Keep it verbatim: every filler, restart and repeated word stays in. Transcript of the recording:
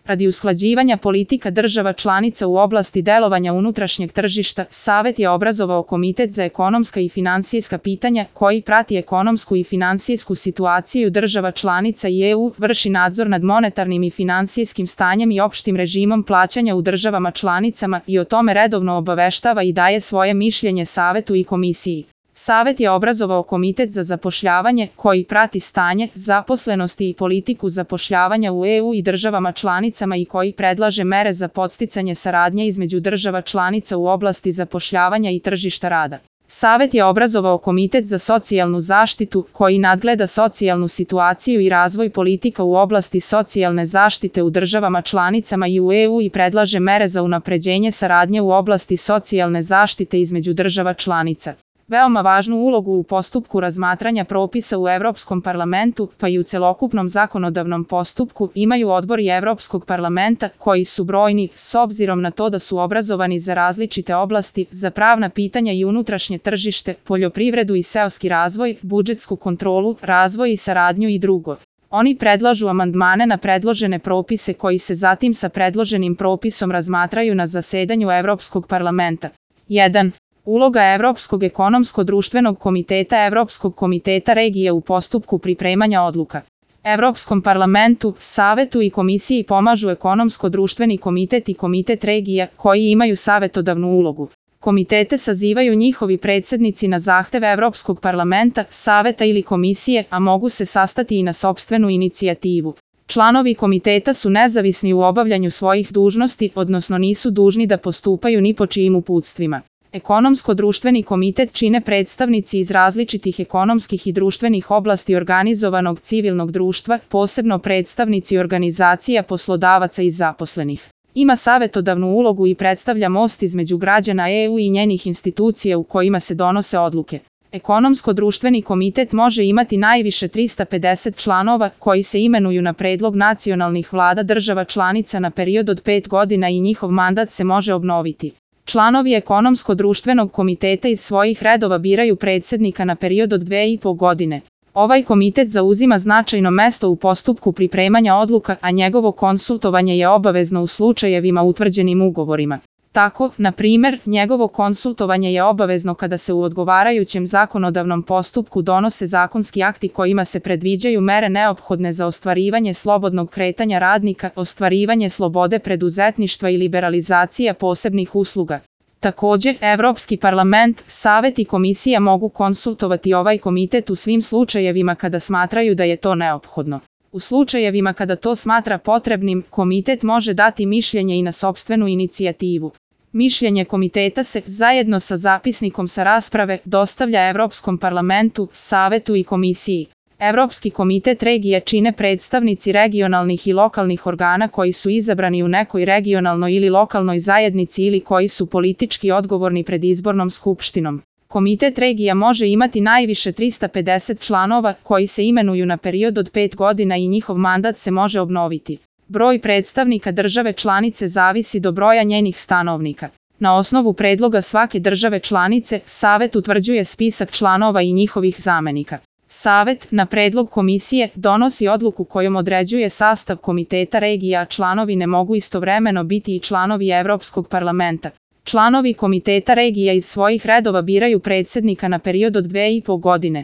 Radi usklađivanja politika država članica u oblasti delovanja unutrašnjeg tržišta, Savet je obrazovao Komitet za ekonomska i finansijska pitanja, koji prati ekonomsku i finansijsku situaciju država članica i E U, vrši nadzor nad monetarnim i finansijskim stanjem i opštim režimom plaćanja u državama članicama i o tome redovno obaveštava i daje svoje mišljenje Savetu i Komisiji. Savet je obrazovao Komitet za zapošljavanje, koji prati stanje, zaposlenosti i politiku zapošljavanja u E U i državama članicama i koji predlaže mere za podsticanje saradnje između država članica u oblasti zapošljavanja i tržišta rada. Savet je obrazovao Komitet za socijalnu zaštitu, koji nadgleda socijalnu situaciju i razvoj politika u oblasti socijalne zaštite u državama članicama i u E U i predlaže mere za unapređenje saradnje u oblasti socijalne zaštite između država članica. Veoma važnu ulogu u postupku razmatranja propisa u Evropskom parlamentu, pa i u celokupnom zakonodavnom postupku, imaju odbori Evropskog parlamenta, koji su brojni, s obzirom na to da su obrazovani za različite oblasti, za pravna pitanja i unutrašnje tržište, poljoprivredu i seoski razvoj, budžetsku kontrolu, razvoj i saradnju i drugo. Oni predlažu amandmane na predložene propise koji se zatim sa predloženim propisom razmatraju na zasedanju Evropskog parlamenta. jedan. Uloga Evropskog ekonomsko-društvenog komiteta Evropskog komiteta regije u postupku pripremanja odluka. Evropskom parlamentu, Savetu i Komisiji pomažu ekonomsko-društveni komitet i komitet regija, koji imaju savetodavnu ulogu. Komitete sazivaju njihovi predsednici na zahtev Evropskog parlamenta, Saveta ili Komisije, a mogu se sastati i na sopstvenu inicijativu. Članovi komiteta su nezavisni u obavljanju svojih dužnosti, odnosno nisu dužni da postupaju ni po čijim uputstvima. Ekonomsko-društveni komitet čine predstavnici iz različitih ekonomskih i društvenih oblasti organizovanog civilnog društva, posebno predstavnici organizacija poslodavaca i zaposlenih. Ima savetodavnu ulogu i predstavlja most između građana E U i njenih institucija u kojima se donose odluke. Ekonomsko-društveni komitet može imati najviše trista pedeset članova, koji se imenuju na predlog nacionalnih vlada država članica na period od pet godina i njihov mandat se može obnoviti. Članovi ekonomsko-društvenog komiteta iz svojih redova biraju predsednika na period od dve i po godine. Ovaj komitet zauzima značajno mesto u postupku pripremanja odluka, a njegovo konsultovanje je obavezno u slučajevima utvrđenim ugovorima. Tako, na primer, njegovo konsultovanje je obavezno kada se u odgovarajućem zakonodavnom postupku donose zakonski akti kojima se predviđaju mere neophodne za ostvarivanje slobodnog kretanja radnika, ostvarivanje slobode preduzetništva i liberalizacija posebnih usluga. Takođe, Evropski parlament, Savet i Komisija mogu konsultovati ovaj komitet u svim slučajevima kada smatraju da je to neophodno. U slučajevima kada to smatra potrebnim, komitet može dati mišljenje i na sopstvenu inicijativu. Mišljenje komiteta se, zajedno sa zapisnikom sa rasprave, dostavlja Evropskom parlamentu, Savetu i Komisiji. Evropski komitet regije čine predstavnici regionalnih i lokalnih organa koji su izabrani u nekoj regionalnoj ili lokalnoj zajednici ili koji su politički odgovorni pred izbornom skupštinom. Komitet regija može imati najviše trista pedeset članova, koji se imenuju na period od pet godina i njihov mandat se može obnoviti. Broj predstavnika države članice zavisi do broja njenih stanovnika. Na osnovu predloga svake države članice, Savet utvrđuje spisak članova i njihovih zamenika. Savet, na predlog Komisije, donosi odluku kojom određuje sastav komiteta regija, a članovi ne mogu istovremeno biti i članovi Evropskog parlamenta. Članovi komiteta regija iz svojih redova biraju predsednika na period od dve i po godine.